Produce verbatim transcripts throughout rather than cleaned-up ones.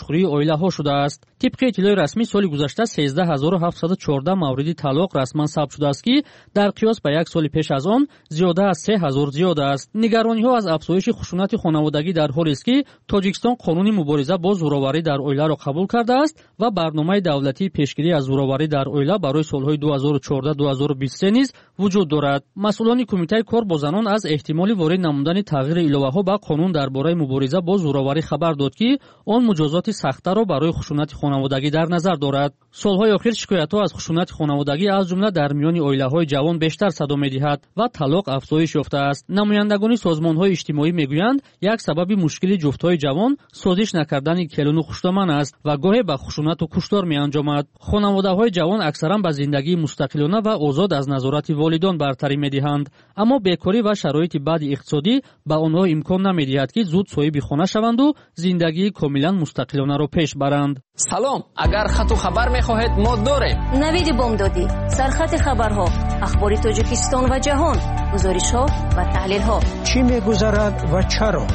Хӯрии оилаҳо шудааст. Тибқи иттилои расмӣ, соли гузашта сездаҳ ҳазору ҳафтсаду чордаҳ мавриди талоқ расман сабт шудааст, ки дар қиёс ба як соли пеш аз он зиёда аз се ҳазор зиёд аст. Нигарониҳо аз афзоиши хушунати хонаводагӣ дар ҳолест, ки Тоҷикистон қонуни мубориза бо зӯроварӣ дар оиларо қабул кардааст ва барномаи давлатии пешгирӣ аз зӯроварӣ дар оила барои солҳои ду ҳазору чордаҳ ду ҳазору бисту се низ вуҷуд дорад. Масъулони Кумитаи кор бо занон аз эҳтимоли ворид намудани тағйири иловаҳо ба қонун дар бораи мубориза бо зӯроварӣ хабар дод, ки он муҷозоти сахттарро барои хушунати хонаводагӣ дар назар дорад. Солҳои охир шикоятҳо аз хушунати хонаводагӣ, аз ҷумла дар миёни оилаҳои ҷавон, бештар садо медиҳад ва талоқ афзоиш ёфтааст. Намояндагони созмонҳои иҷтимоӣ мегӯянд, як сабаби мушкили ҷуфтҳои ҷавон созиш накардани келуну хуштоман аст ва гоҳе ба хушунату куштор меанҷомад. Хонаводаҳои ҷавон аксаран ба зиндагии мустақилона ва озод аз назорати волидон бартарӣ медиҳанд, аммо бекорӣ ва шароити бади иқтисодӣ ба онҳо имкон намедиҳад, ки зуд соҳиби хона шаванду зиндагии комилан мустақилонаро пеш баранд. Салом, агар хату хабар мехоҳед, мо дорем. Навиди бомдодӣ, сархати хабарҳо, ахбори Тоҷикистон ва ҷаҳон, гузоришҳо ва таҳлилҳо. Чӣ мегузарад ва чаро?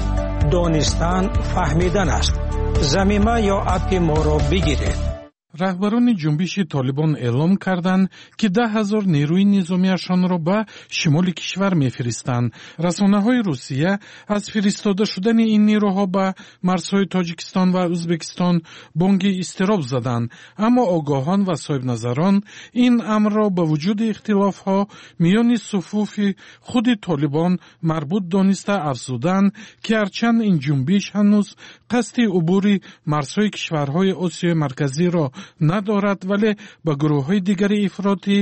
Донистан фаҳмидан аст. Замима ё аппи моро бигиред. Раҳбарони ҷунбиши Толибон эълом карданд, ки даҳ ҳазор нерӯи низомиашонро ба шимоли кишвар мефиристанд. Расонаҳои Русия аз фиристода шудани ин нерӯҳо ба марзҳои Тоҷикистон ва Ӯзбекистон бонги изтироб заданд, аммо огоҳон ва соҳибназарон ин амрро ба вуҷуди ихтилофҳо миёни суфуфи худи Толибон марбут дониста афзуданд, ки ҳарчанд ин ҷунбиш ҳанӯз қасди убури марзҳои кишварҳои Осиёи Марказиро надорад, вале ба гурӯҳҳои дигари ифротӣ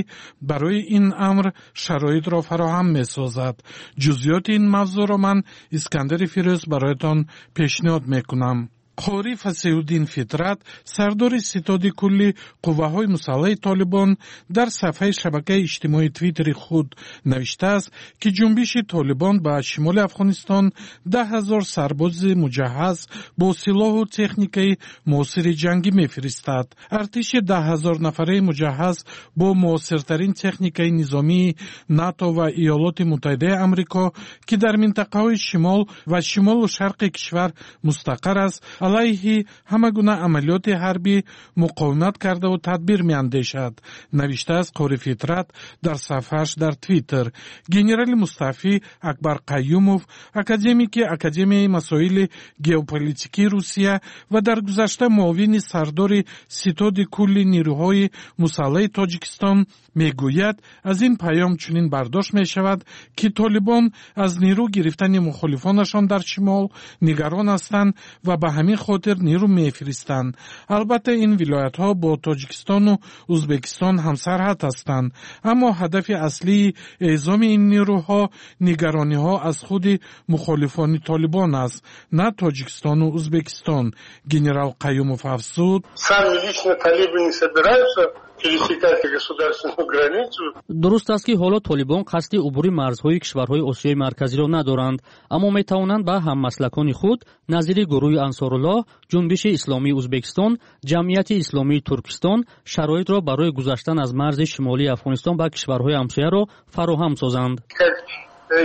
барои ин амр шароитро фароҳам месозад. Ҷузъиёти ин мавзӯъро ман, Искандари Фирӯз, бароятон пешниҳод мекунам. Қорӣ Фасеҳуддин Фитрат, сардори ситоди кулли қувваҳои мусаллаҳи Толибон, дар сафҳаи шабакаи иҷтимоии Твиттери худ навиштааст, ки ҷунбиши Толибон ба шимоли Афғонистон даҳ ҳазор сарбози муҷаҳҳаз бо силоҳу техникаи муосири ҷангӣ мефиристад. Артиши даҳ ҳазор нафараи муҷаҳҳаз бо муосиртарин техникаи низомии НАТО ва Иёлоти Муттаҳидаи Амрико, ки дар минтақаҳои шимол ва шимолу шарқи кишвар мустақар аст, алайҳи ҳама гуна амалиёти ҳарбӣ муқовимат кардаву тадбир меандешад, навиштааст Қори Фитрат дар сафҳааш дар Твиттер. Генерали мустаъфӣ Акбар Қаюмов, академики Академияи масоили геополитикии Русия ва дар гузашта муовини сардори ситоди кулли нерӯҳои мусаллаҳи Тоҷикистон, мегӯяд, аз ин паём чунин бардошт мешавад, ки толибон аз нерӯ гирифтани мухолифонашон дар шимол нигарон ҳастанд ва ба ҳамин хотир нерӯ мефиристанд. Албатта, ин вилоятҳо бо Тоҷикистону Ӯзбекистон ҳамсарҳад ҳастанд, аммо ҳадафи аслии эъзоми ин нерӯҳо нигарониҳо аз худи мухолифони Толибон аст, на Тоҷикистону Ӯзбекистон. Генерал Қаюмов афзуд: Сами лично талибы не собираются пересекать государственную границу. Дуруст аст, ки ҳоло толибон қасди убури марзҳои кишварҳои Осиёи Марказиро надоранд, аммо метавонанд ба ҳаммаслакони худ назири гурӯҳи Ансоруллоҳ, Ҷунбиши Исломии Ӯзбекистон, Ҷамъияти Исломии Туркистон шароитро барои гузаштан аз марзи шимолии Афғонистон ба кишварҳои ҳамсояро фароҳам созанд. Как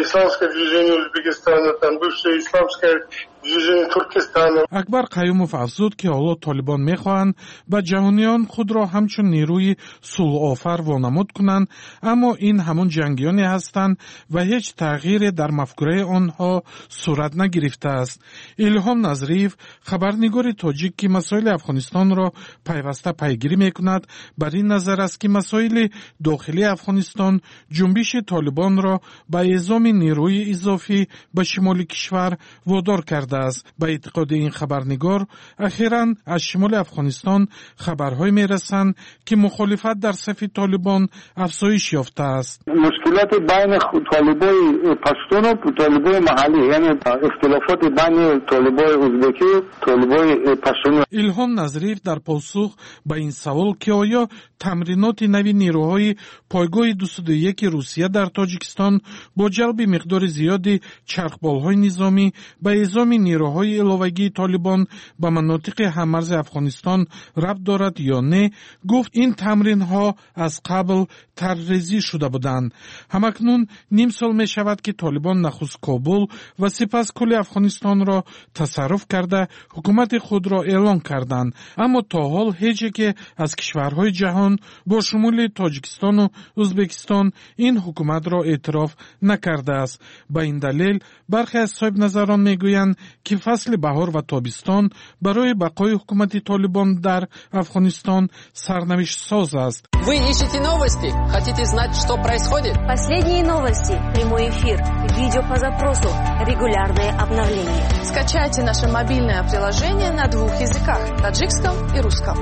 Исламское движение Узбекистана, там бывшее Исламское движение Туркестана. Акбар Қаюмов афзуд, ки ҳоло толибон мехоҳанд ба ҷаҳониён худро ҳамчун нерӯи сулҳофар вонамуд кунанд, аммо ин ҳамон ҷангиёне ҳастанд ва ҳеҷ тағйире дар мафкураи онҳо сурат нагирифтааст. Илҳом Назриев, хабарнигори тоҷик, ки масоили Афғонистонро пайваста пайгирӣ мекунад, бар ин назар аст, ки масоили дохилии Афғонистон ҷунбиши толибонро ба эъзоми нерӯи изофӣ ба шимоли кишвар водор кардааст. Ба эътиқоди ин хабарнигор, ахиран аз шимоли Афғонистон хабарҳое мерасанд, ки мухолифат дар сафи толибон афзоиш ёфтааст. Мушкилоти байни толибои паштуну толибои маҳаллӣ, яъне ихтилофоти байни толибои узбекӣ, толибои паштуни. Илҳом Назриев дар посух ба ин савол, ки оё тамриноти нави нерӯҳои пойгоҳи дусаду яки Русия дар Тоҷикистон бо ҷалби миқдори зиёди чархболҳои низомӣ ба эъзоми нерӯҳои иловагии Толибон ба манотиқи ҳаммарзи Афғонистон рабт дорад ё не, гуфт ин тамринҳо аз қабл тарҳрезӣ шуда буданд. Ҳамакнун ним сол мешавад, ки Толибон нахуст Кобул ва сипас кулли Афғонистонро тасарруф карда ҳукумати худро эълон карданд. Аммо то ҳол ҳеҷ яке аз кишварҳои ҷаҳон бо шумули Тоҷикистону Ӯзбекистон ин ҳукуматро эътироф накардааст. Ба ин далел бархе аз соҳибназарон мегӯянд, ки фасли баҳор ва тобистон барои бақои ҳукумати Толибон дар Афғонистон сарнавиштсоз аст. Вы ищете новости? Хотите знать, что происходит? Последние новости, прямой эфир, видео по запросу, регулярные обновления. Скачайте наше мобильное приложение на двух языках – таджикском и русском.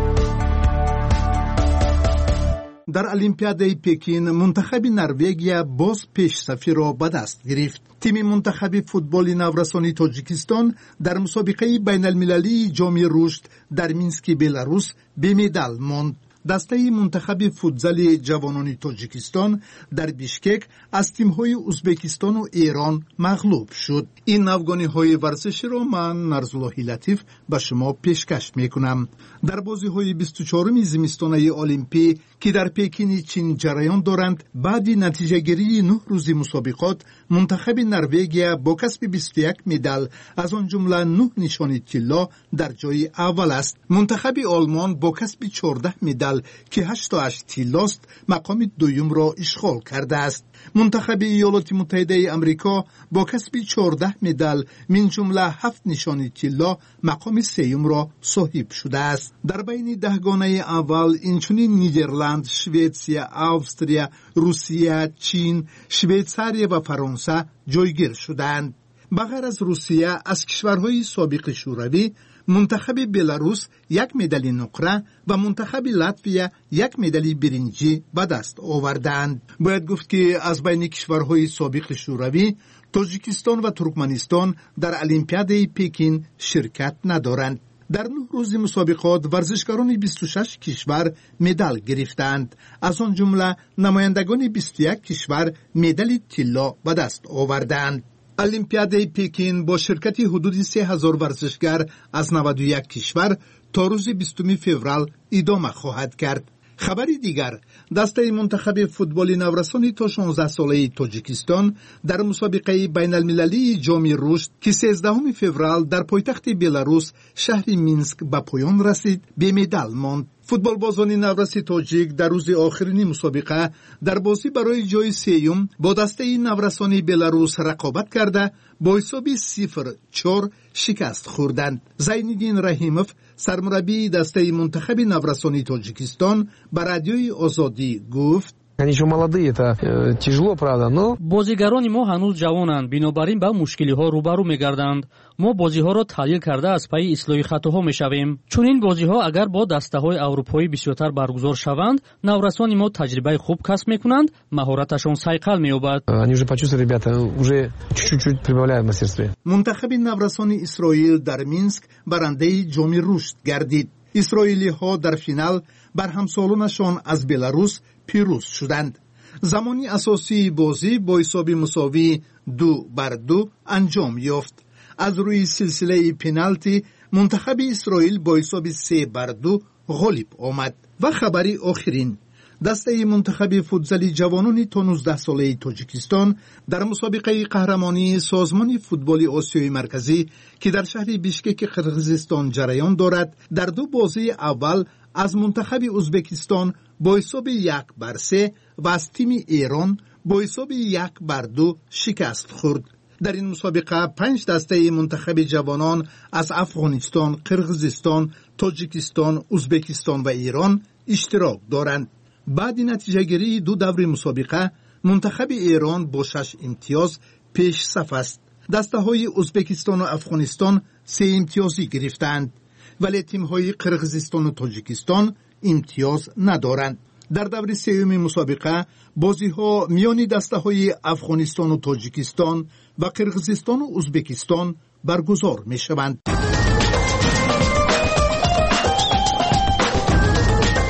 Дар Олимпиадаи Пекин мунтахаби Норвегия боз пешсафиро ба даст гирифт. Тими мунтахаби футболи наврасони Тоҷикистон дар мусобиқаи байналмилалии Ҷоми рушд дар Мински Беларус бемедал монд. Дастаи мунтахаби футзали ҷавонони Тоҷикистон дар Бишкек аз тимҳои Узбекистону Эрон мағлуб шуд. Ин навгониҳои варзиширо ман, Нарзуллоҳи Латиф, ба шумо пешкаш мекунам. Дар бозиҳои бисту чоруми зимистонаи Олимпӣ, ки дар Пекини Чин ҷараён доранд, баъди натиҷагирии нӯҳ рӯзи мусобиқот мунтахаби Норвегия бо касби бисту як медал, аз он ҷумла нӯҳ нишони тилло, дар ҷои аввал аст. Мунтахаби Олмон бо касби чордаҳ медал, ки ҳашту ҳашт тиллост, мақоми дуюмро ишғол кардааст. Мунтахаби Иёлоти Муттаҳидаи Амрико бо касби чордаҳ медал, мин ҷумла ҳафт нишони тилло, мақоми сеюмро соҳиб шудааст. Дар байни даҳгонаи аввал инчунин Нидерланд, Шветсия, Австрия, Русия, Чин, Швейтсария ва Фаронса ҷойгир шудаанд. Ба ғайр аз Русия, аз кишварҳои собиқи Шӯравӣ мунтахаби Беларус як медали нуқра ва мунтахаби Латвия як медали биринҷӣ ба даст овардаанд. Бояд гуфт, ки аз байни кишварҳои собиқи Шӯравӣ Тоҷикистон ва Туркманистон дар Олимпиадаи Пекин ширкат надоранд. Дар нӯҳ рӯзи мусобиқот варзишгарони бисту шаш кишвар медал гирифтаанд. Аз он ҷумла намояндагони бисту як кишвар медали тилло ба даст овардаанд. Олимпиадаи Пекин бо ширкати ҳудуди се ҳазор варзишгар аз наваду як кишвар то рӯзи бистуми феврал идома хоҳад кард. Хабари дигар: дастаи мунтахаби футболи наврасони то шонздаҳсолаи Тоҷикистон дар мусобиқаи байналмилалии Ҷоми рушд, ки сездаҳуми феврал дар пойтахти Беларус, шаҳри Минск, ба поён расид, бемедал монд. Футболбозони навраси тоҷик дар рӯзи охирини мусобиқа дар бозӣ барои ҷои сеюм бо дастаи наврасони Беларус рақобат карда, бо ҳисоби сифр чор шикаст хӯрданд. Зайниддин Раҳимов, сармураббии дастаи мунтахаби наврасони Тоҷикистон, ба Радиои Озодӣ гуфт: Они еще молодые, это э, тяжело, правда, но... Бозигарони мо ҳанӯз ҷавонанд, бинобар ин ба мушкилиҳо рӯбарӯ мегарданд. Мо бозиҳоро таҳлил карда аз пайи ислоҳи хатоҳо мешавем. Чунин бозиҳо агар бо дастаҳои аврупоӣ бисёртар баргузор шаванд, наврасони мо таҷрибаи хуб касб мекунанд, маҳораташон сайқал меёбад. Они уже почувствовали, ребята, уже чуть-чуть прибавляют в мастерстве. Мунтахаби наврасони Исроил дар Минск барандаи Ҷоми рушд гардид. Исроилиҳо дар финал бар ҳамсолонашон аз Беларус пирӯз шуданд. Замони асосии бозӣ бо ҳисоби мусовии ду бар ду анҷом ёфт. Аз рӯи силсилаи пеналти мунтахаби Исроил бо ҳисоби се бар ду ғолиб омад. Ва хабари охирин: дастаи мунтахаби футзали ҷавонони то нуздаҳсолаи Тоҷикистон дар мусобиқаи қаҳрамонии Созмони футболи Осиёи Марказӣ, ки дар шаҳри Бишкеки Қирғизистон ҷараён дорад, дар ду бозии аввал аз мунтахаби Узбекистон бо ҳисоби як бар се ва аз тими Эрон бо ҳисоби як бар ду шикаст хӯрд. Дар ин мусобиқа панҷ дастаи мунтахаби ҷавонон аз Афғонистон, Қирғизистон, Тоҷикистон, Узбекистон ва Эрон иштирок доранд. Баъди натиҷагирии ду даври мусобиқа мунтахаби Эрон бо шаш имтиёз пешсаф аст. Дастаҳои Узбекистону Афғонистон се имтиёзӣ гирифтаанд, вале тимҳои Қирғизистону Тоҷикистон имтиёз надоранд. Дар даври сеюми мусобиқа бозиҳо миёни дастаҳои Афғонистону Тоҷикистон ва Қирғизистону Узбекистон баргузор мешаванд.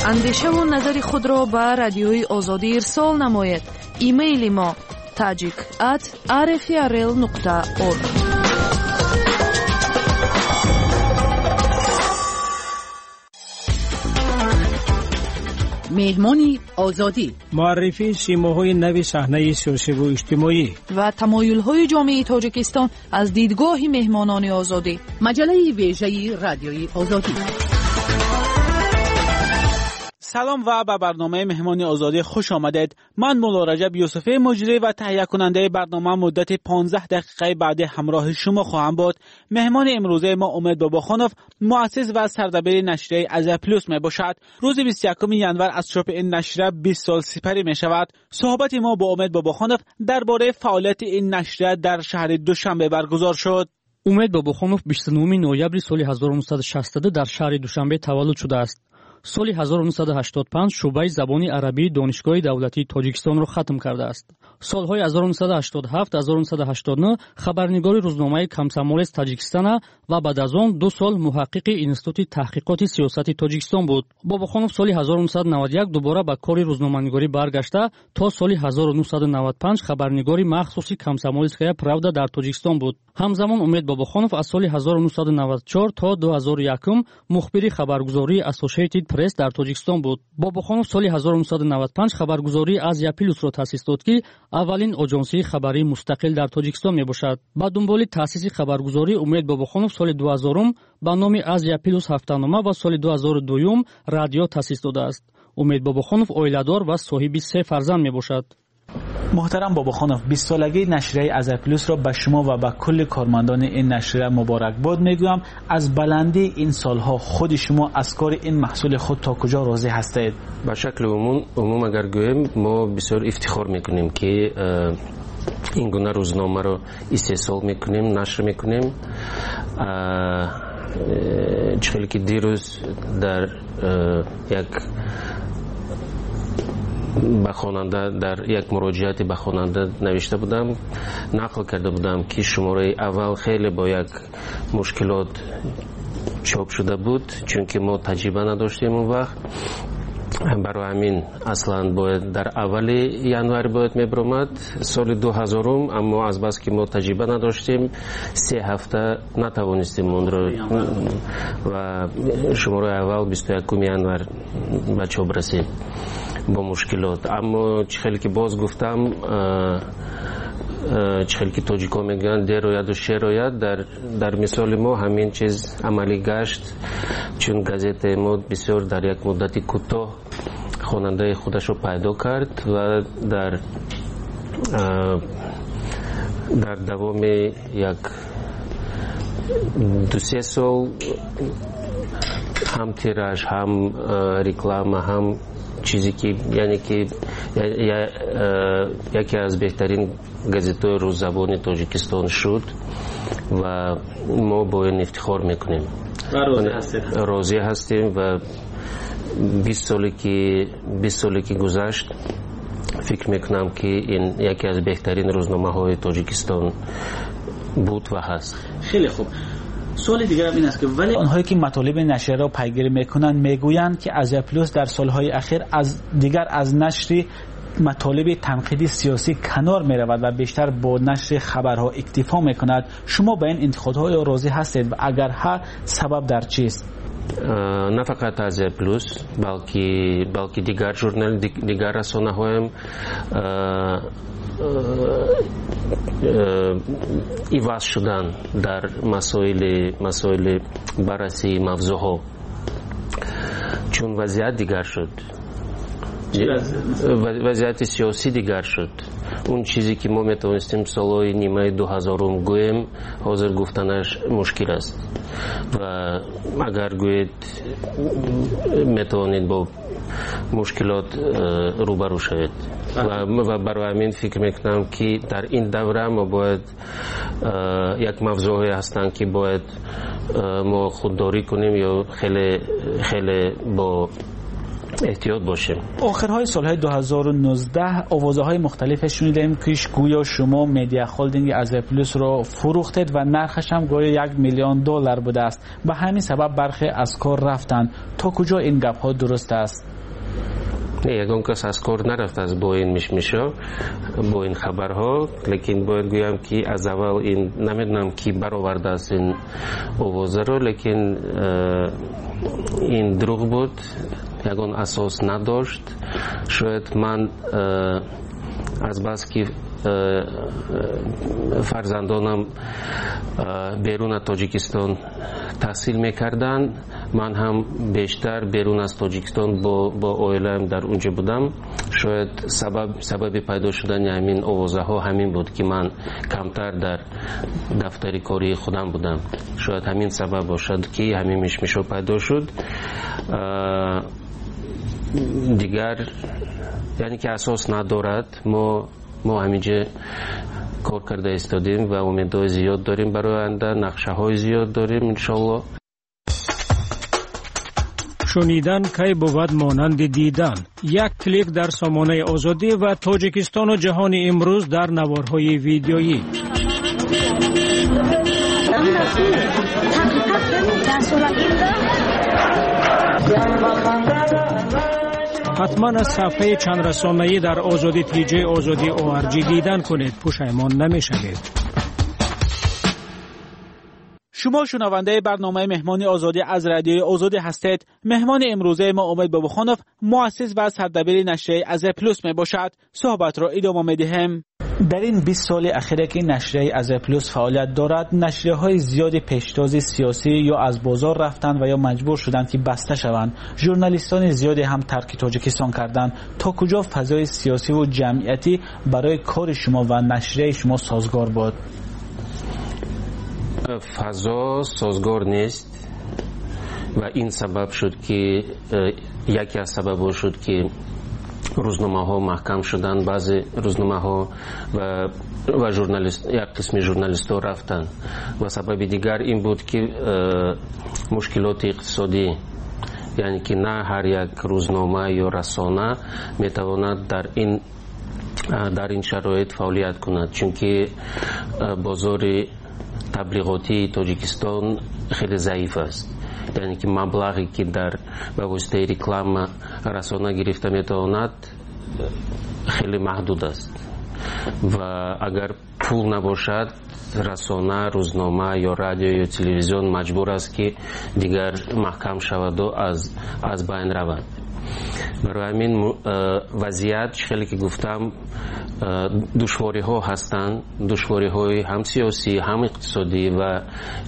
Андешаву назари худро ба Радиои Озодӣ ирсол намоед. Имейли мо tajik at rfrl нуқта org. Меҳмони Озодӣ. Муаррифии симоҳои нави саҳнаи сиёсиву иҷтимоӣ ва тамоюлҳои ҷомеаи Тоҷикистон аз дидгоҳи меҳмонони Озодӣ. Маҷаллаи вежаи Радиои Озодӣ. Салом ва ба барномаи Меҳмони Озодӣ хуш омадед. Ман Мулло Раҷаб Юсуфӣ, муҷрӣ ва таҳиякунандаи барнома, муддати понздаҳ дақиқаи баъдӣ ҳамроҳи шумо хоҳам буд. Меҳмони имрӯзаи мо Умед Бобохонов, муассис ва сардабири нашрияи Азия Плюс мебошад. Рӯзи бисту якуми январ аз чопи ин нашрия бист сол сипарӣ мешавад. Суҳбати мо бо Умед Бобохонов дар бораи фаъолияти ин нашрия дар шаҳри Душанбе баргузор шуд. Умед Бобохонов бисту нӯҳуми ноябри соли ҳазору нӯҳсаду шасту ду дар шаҳри Душанбе таваллуд шудааст. Соли ҳазору нӯҳсаду ҳаштоду панҷ шӯъбаи забони арабии Донишгоҳи давлатии Тоҷикистонро хатм кардааст. Солҳои ҳазору нӯҳсаду ҳаштоду ҳафт ҳазору нӯҳсаду ҳаштоду нӯҳ хабарнигори рӯзномаи Комсомолец Таҷикистона ва баъд аз он ду сол муҳаққиқи Институти таҳқиқоти сиёсати Тоҷикистон буд. Бобохонов соли ҳазору нӯҳсаду наваду як дубора ба кори рӯзноманигорӣ баргашта то соли ҳазору нӯҳсаду наваду панҷ хабарнигори махсуси Комсомольская правда дар Тоҷикистон буд. Ҳамзамон Умед Бобохонов аз соли ҳазору нӯҳсаду наваду чор то ду ҳазору якум мухбири хабаргузории Associated Press дар Тоҷикистон буд. Бобохонов соли ҳазору нӯҳсаду наваду панҷ хабаргузории Азия Плюсро таъсис дод, ки аввалин оҷонсии хабарии мустақил дар Тоҷикистон мебошад. Ба дунболи таъсиси хабаргузорӣ Умед Бобохонов соли дуҳазорум ба номи Азия Плюс ҳафтанома ва соли дуҳазору дуюм радио таъсис додааст. Умед Бобохонов оиладор ва соҳиби се фарзанд мебошад. Муҳтарам Бобохонов, бист солагии нашрияи Азия Плюсро ба шумо ва ба кулли кормандони ин нашрия муборакбод мегӯям. Аз баландии ин солҳо худи шумо аз кори ин маҳсули худ то куҷо розӣ ҳастед? Ба шакли умум, умум агар гӯем, мо бисёр ифтихор мекунем, ки ин гуна рӯзномаро истеҳсол мекунем, нашр мекунем. Чӣ хеле ки дирӯз дар як ба хонанда дар як муроҷиате ба хонанда навишта будам, нақл карда будам, ки шумораи аввал хеле бо як мушкилот чоп шуда буд, чунки мо таҷриба надоштем он вақт. Барои ҳамин аслан бояд дар аввали январ бояд мебаромад соли дуҳазорум, аммо азбаски мо таҷриба надоштем, се ҳафта натавонистем онро ва шумораи аввал бисту якуми январ ба чоп расид бо мушкилот. Аммо чӣ хеле ки боз гуфтам, чӣ хеле ки тоҷикҳо мегӯянд, дер ояду шер ояд, дар, дар мисоли мо ҳамин чиз амалӣ гашт, чун газетаи мо бисёр дар як муддати кӯтоҳ хонандаи худашро пайдо кард ва дар дар давоми як ду се сол ҳам тираж, ҳам реклама, ҳам чизе ки яъне ки яке аз беҳтарин газетаҳои рӯззабони Тоҷикистон шуд ва мо бо ин ифтихор мекунем. Розӣ ҳастем ва бист соле ки бист соле ки гузашт, фикр мекунам, ки ин яке аз беҳтарин рӯзномаҳои Тоҷикистон буд ва ҳаст. Хеле хуб. Суоли дигарам ин аст, ки вале онҳое ки матолиби нашрияро пайгирӣ мекунанд мегӯянд, ки Азия Плюс дар солҳои ахир аз дигар аз нашри матолиби танқиди сиёсӣ канор меравад ва бештар бо нашри хабарҳо иктифо мекунад. Шумо ба ин интиқодҳо розӣ ҳастед ва агар ҳа, сабаб дар чист? На фақат Азия Плюс, балки балки дигар журнал, дигар расонаҳоям иваз шудан дар масоили масоили баррасии мавзӯъҳо, чун вазъият дигар шуд, вазъияти сиёсӣ дигар шуд. Он чизе ки мо метавонистем солҳои нимаи дуҳазорум гӯем, ҳозир гуфтанаш мушкил аст ва агар гӯед, метавонед бо мушкилот рӯбарӯ шавед. Ва барои ҳамин фикр мекунам, ки дар ин давра мо бояд як мавзӯъҳое ҳастанд, ки бояд мо худдорӣ кунем ё хеле хеле бо эҳтиёт бошем. Охирҳои солҳои ду ҳазору нуздаҳ овозаҳои мухталифе шунидем, ки гӯё шумо медиа холдинги Азия Плюсро фурӯхтед ва нархаш ҳам гӯё як миллион доллар будааст. Ба ҳамин сабаб бархе аз кор рафтанд. То куҷо ин гапҳо дуруст аст? Не, ягон кас аз кор нарафтааст бо ин мишмишо, бо ин хабарҳо, лекин бояд гӯям, ки аз аввал ин намедонам, ки баровардааст ин овозаро, лекин ин дурӯғ буд. ягон асос надошт. Шояд ман азбаски фарзандонам берун аз Тоҷикистон таҳсил мекарданд, ман ҳам бештар берун аз Тоҷикистон бо оилаам дар унҷо будам. Шояд сабаби пайдо шудани ҳамин овозаҳо ҳамин буд, ки ман камтар дар дафтари кории худам будам. Шояд ҳамин сабаб бошад, ки ҳамин мишмишҳо пайдо шуд. Дигар яъне ки асос надорад. Мо мо ҳаминҷо кор карда истодем ва умедҳои зиёд дорем барои оянда, нақшаҳои зиёд дорем иншоалло. Шунидан кай бувад монанди дидан. Як клик дар сомонаи Озодӣ ва Тоҷикистону ҷаҳони имрӯз дар наворҳои видеоӣ. Ҳатман аз сафҳаи чандрасонаӣ дар Озодӣ тиҷи Озодӣ О Р Ҷ дидан кунед. Пушаймон намешавед. Шумо шунавандаи барномаи Меҳмони Озодӣ аз Радиои Озодӣ ҳастед. Меҳмони имрӯзаи мо Умед Бобохонов, муассис ва сардабири нашрияи Азия Плюс мебошад. Суҳбатро идома медиҳем. Дар ин бист соли ахире, ки нашрияи Азия Плюс фаъолият дорад, нашрияҳои зиёди пештози сиёсӣ ё аз бозор рафтанд ва ё маҷбур шуданд, ки баста шаванд. Журналистони зиёде ҳам тарки Тоҷикистон карданд. То куҷо фазои сиёсиву ҷамъиятӣ барои кори шумо ва нашрияи шумо созгор буд? Фазо созгор нест ва ин сабаб шуд, ки яке аз сабабҳо шуд, ки рӯзномаҳо маҳкам шуданд, баъзе рӯзномаҳо, ва ва журналист як қисми журналистҳо рафтанд. Ва сабаби дигар ин буд, ки мушкилоти иқтисодӣ, яъне ки на ҳар як рӯзнома ё расона метавонад дар ин дар ин шароит фаъолият кунад, чунки бозори таблиғотии Тоҷикистон хеле заиф аст, яъне ки маблағе, ки дар ба воситаи реклама расона гирифта метавонад, хеле маҳдуд аст. Ва агар пул набошад, расона, рӯзнома ё радио ё телевизион маҷбур аст, ки дигар маҳкам шаваду аз аз байн равад. Барои ҳамин вазъият, чӣ хеле ки гуфтам, душвориҳо ҳастанд, душвориҳои ҳам сиёсӣ, ҳам иқтисодӣ. Ва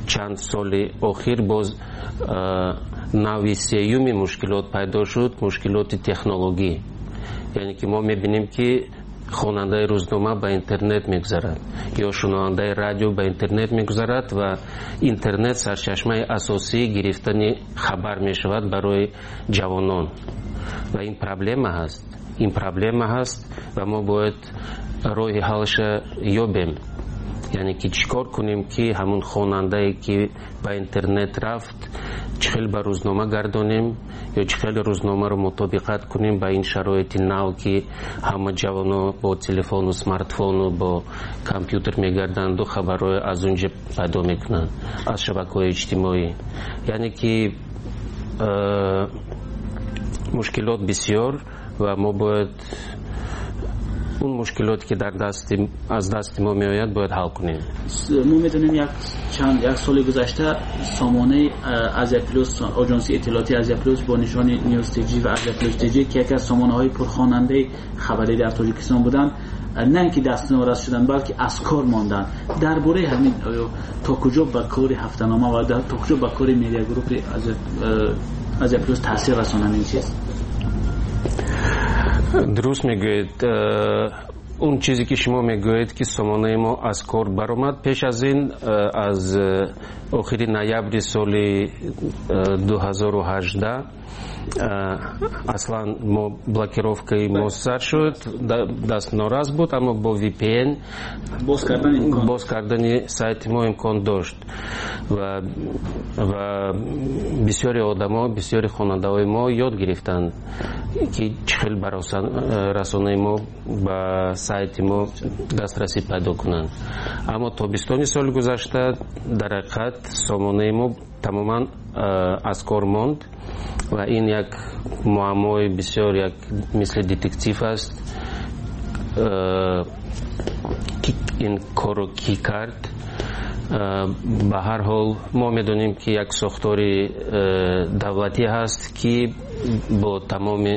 чанд соли охир боз нави сеюми мушкилот пайдо шуд, мушкилоти технологӣ, яъне ки мо мебинем, ки хонандаи рӯзнома ба интернет мегузарад ё шунавандаи радио ба интернет мегузарад ва интернет сарчашмаи асосии гирифтани хабар мешавад барои ҷавонон. Ва ин проблема ҳаст, ин проблема ҳаст ва мо бояд роҳи ҳалша ёбем, яъне ки чӣ кор кунем, ки ҳамун хонандае, ки ба интернет рафт, чӣ хел ба рӯзнома гардонем ё чӣ хел рӯзномаро мутобиқат кунем ба ин шароити нав, ки ҳама ҷавоно бо телефону смартфону бо компютер мегарданду хабарҳои аз он ҷо пайдо мекунанд, аз шабакаҳои иҷтимоӣ. Яъне ки э, мушкилот бисёр ва мо бояд он мушкилоте, ки дар дасти аз дасти мо меояд, бояд ҳал кунем. Мо медонем, як чанд як соли гузашта сомонаи Азия Плюс, оҷонсии иттилоотии Азия Плюс бо нишони News T J ва Азия Плюс T J, ки яке аз сомонаҳои пурхонандаи хабарӣ дар Тоҷикистон буданд, на ин ки дастнорас шуданд, балки аз кор монданд. Дар бораи ҳамин то куҷо ба кори ҳафтанома ва то куҷо ба кори медиагруппи Азия Плюс таъсир расонанд ин чиз? Дуруст мегӯед. Он чизе, ки шумо мегӯед, ки сомонаи мо аз кор баромад, пеш аз ин, аз охири ноябри соли ду ҳазору ҳаждаҳ аслан мо блокировкаи мо сар шуд, дастнорас буд, аммо бо V P N боз кардани сайти мо имкон дошт. ва ва бисёри одамо, бисёри хонандаҳои мо ёд гирифтанд, ки чӣ хел ба расонаи мо, ба сайти мо дастрасӣ пайдо кунанд. Аммо тобистони соли гузашта дар ҳақиқат сомонаи мо тамоман аз кор монд ва ин як муаммои бисёр, як мисли детектив аст, ин корро кӣ кард. Ба ҳар ҳол мо медонем, ки як сохтори давлатӣ ҳаст, ки бо тамоми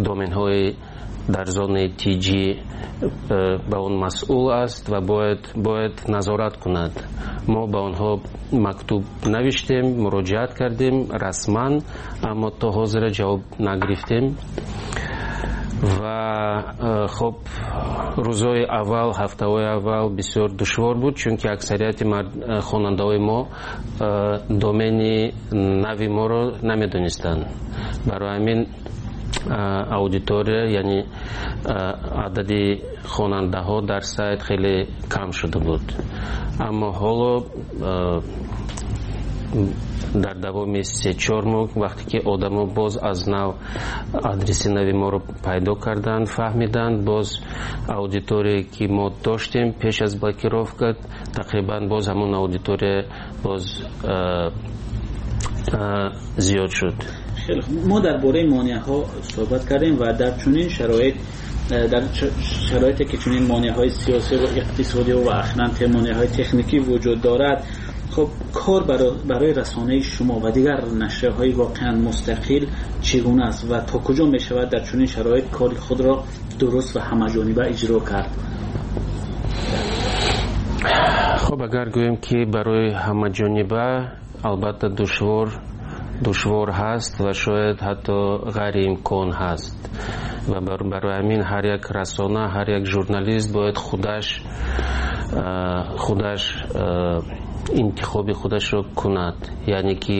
доменҳои дар зонаи Т Ҷ ба он масъул аст ва бояд бояд назорат кунад. Мо ба онҳо мактуб навиштем, муроҷиат кардем расман, аммо то ҳозира ҷавоб нагирифтем. Ва хоб, рӯзҳои аввал, ҳафтаҳои аввал бисёр душвор буд, чунки аксарияти хонандаҳои мо домени нави моро намедонистанд. Барои ҳамин аудитория, яъне адади хонандаҳо дар сайт хеле кам шуда буд. Аммо ҳоло дар давоми се чор моҳ, вақте ки одамо боз аз нав адреси нави моро пайдо карданд, фаҳмиданд, боз аудиторие, ки мо доштем пеш аз блокировка, тақрибан боз ҳамон аудитория боз зиёд шуд. Хеле хуб, мо дар бораи монеаҳо суҳбат кардем ва дар чунин шароит, дар шароите ки чунин монеаҳои сиёсӣ ва иқтисодӣ ва ахиран монеаҳои техникӣ вуҷуд дорад, хуб, кор барои расонаи шумо ва дигар нашрияҳои воқеан мустақил чӣ гуна аст ва то куҷо мешавад дар чунин шароит кори худро дуруст ва ҳамаҷониба иҷро кард? Хуб, агар гӯем, ки барои ҳамаҷониба, албатта душвор душвор ҳаст ва шояд ҳатто ғайриимкон ҳаст. Ва барои ҳамин ҳар як расона, ҳар як журналист бояд худаш худаш интихоби худашро кунад, яъне ки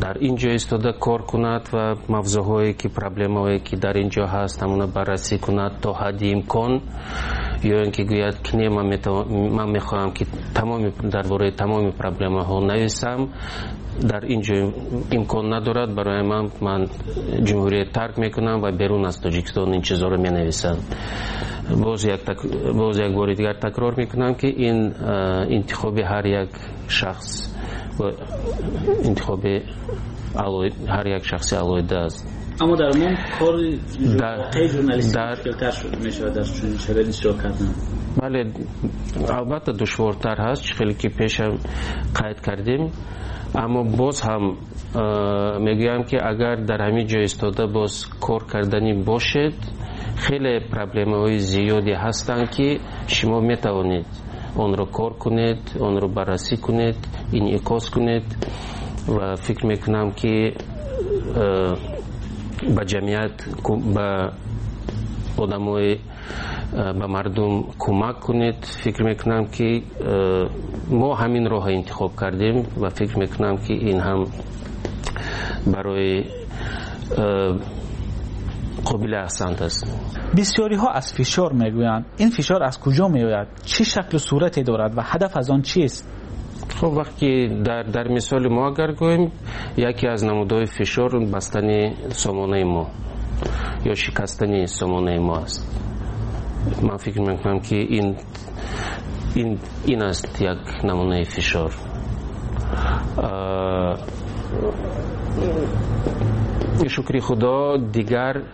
дар ин ҷо истода кор кунад ва мавзӯъҳое ки, проблемаҳое ки дар ин ҷо ҳаст, ҳамона баррасӣ кунад то ҳадди имкон, ё ин ки гӯяд, ки не, ман мехоҳам, ки тамоми дар бораи тамоми проблемаҳо нависам, дар ин ҷо имкон надорад барои ман, ман ҷумҳурият тарк мекунам ва берун аз Тоҷикистон ин чизҳоро менависам. боз як боз як бори дигар такрор мекунам, ки ин интихоби ҳар як шахс, интихоби ҳар як шахси алоҳида аст. Аммо дар умум кори воқеи журналистӣ мушкилтар мешавад дар чунин шароит иҷро кардан. Бале, албатта душвортар ҳаст, чӣ хеле ки пешам қайд кардем. Аммо боз ҳам мегӯям, ки агар дар ҳамин ҷо истода боз кор карданӣ бошед, хеле проблемаҳои зиёде ҳастанд, ки шумо метавонед онро кор кунед, онро баррасӣ кунед, инъикос кунед. Ва фикр мекунам, ки ба ҷамъият, ба одамои, ба мардум кӯмак кунед. Фикр мекунам, ки мо ҳамин роҳро интихоб кардем ва фикр мекунам, ки ин ҳам барои қобили аҳсант аст. Бисёриҳо аз фишор мегӯянд. Ин фишор аз куҷо меояд, чӣ шаклу сурате дорад ва ҳадаф аз он чист? Хуб, вақте дар дар мисоли мо агар гӯем, яке аз намудҳои фишор бастани сомонаи мо ё шикастани сомонаи мо аст. Ман фикр мекунам, ки ин ин ин аст як намунаи фишор. Шукри Худо, дигар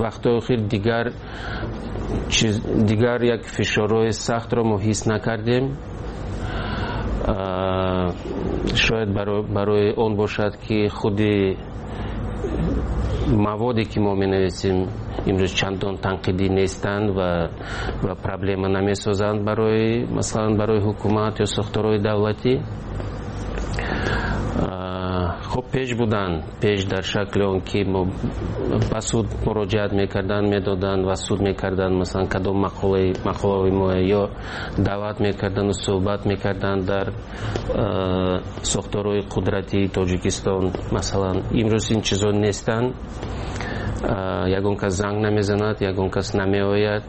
вақтҳои охир дигар чиз, дигар як фишорҳои сахтро мо ҳис накардем. Шояд барои он бошад, ки худи маводе, ки мо менависем, имрӯз чандон танқидӣ нестанд ва ва проблема намесозанд барои, масалан, барои ҳукумат ё сохторҳои давлатӣ. Хуб, пеш буданд, пеш дар шакли он ки мо ба суд муроҷиат мекарданд, медоданд ва суд мекарданд, масалан, кадом мақолаи мақолаҳои мо, ё даъват мекарданду суҳбат мекарданд дар сохторҳои қудратии Тоҷикистон, масалан. Имрӯз ин чизҳо нестанд. Ягон кас занг намезанад, ягон кас намеояд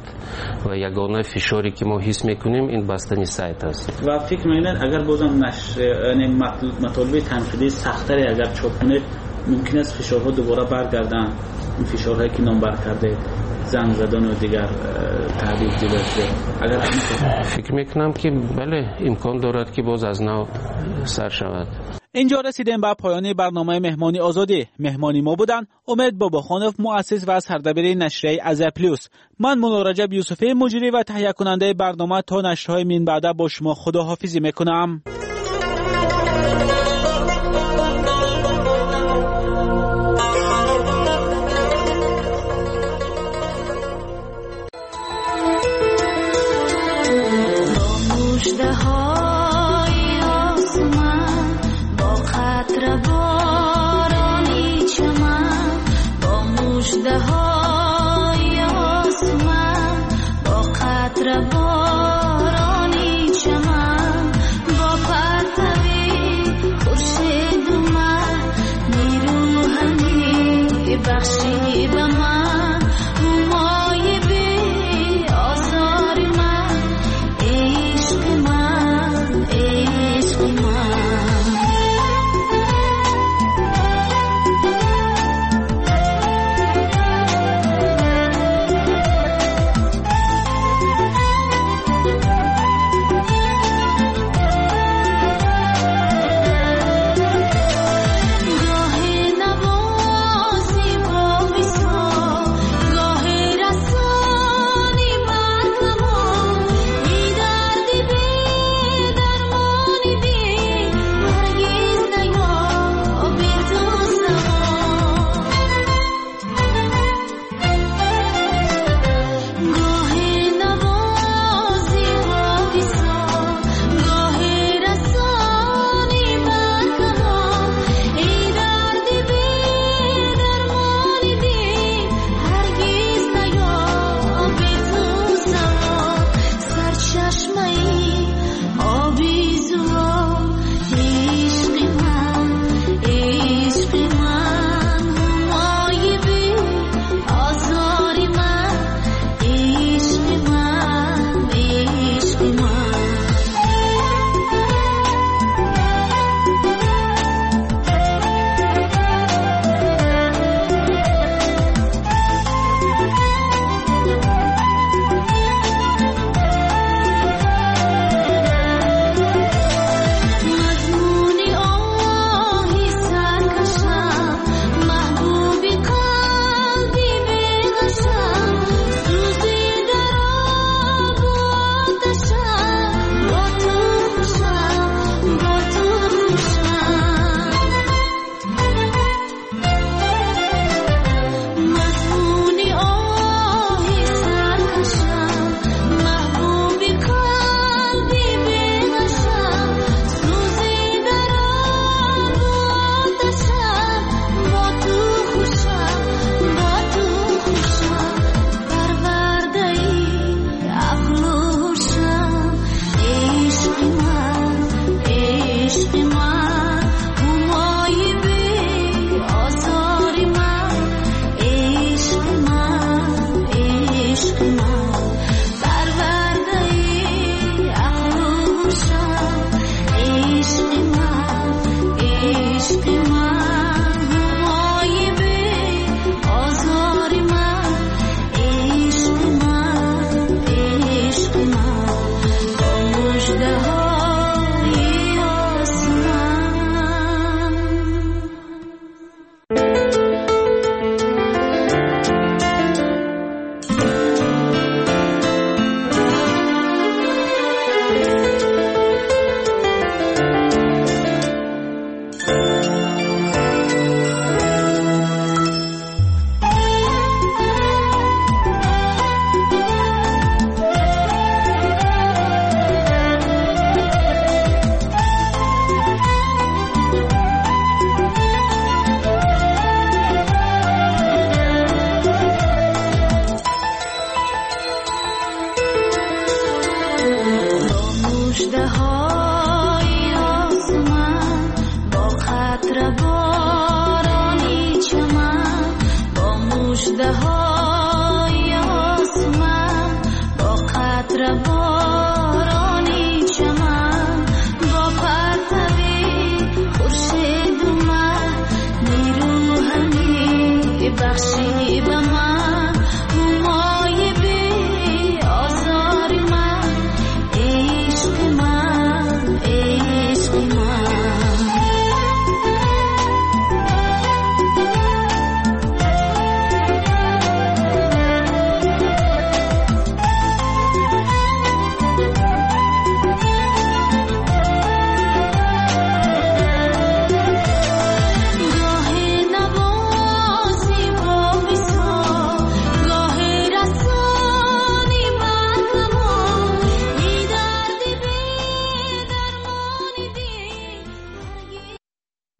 ва ягона фишоре, ки мо ҳис мекунем, ин бастани сайт аст. Ва фикр мекунед, агар бозам нашр, яъне матолиби танқидии сахттаре агар чоп кунед, мумкин аст фишорҳо дубора баргарданд, ин фишорҳое, ки номбар кардед? занг задан ва дигар таҳдид дида шуда. Агар фикр мекунам, ки бале, имкон дорад, ки боз аз нав сар шавад. Инҷо расидем ба поёни барномаи Меҳмони Озодӣ. Меҳмони мо буданд Умед Бобохонов, муассис ва сардабири нашрияи Азия Плюс. Ман Мулло Раҷаб Юсуфӣ, муҷрӣ ва таҳиякунандаи барнома, то нашрҳои минбаъда бо шумо худоҳофизӣ мекунам. بخشی به من همای بی آزار من، عشق من، عشق من. The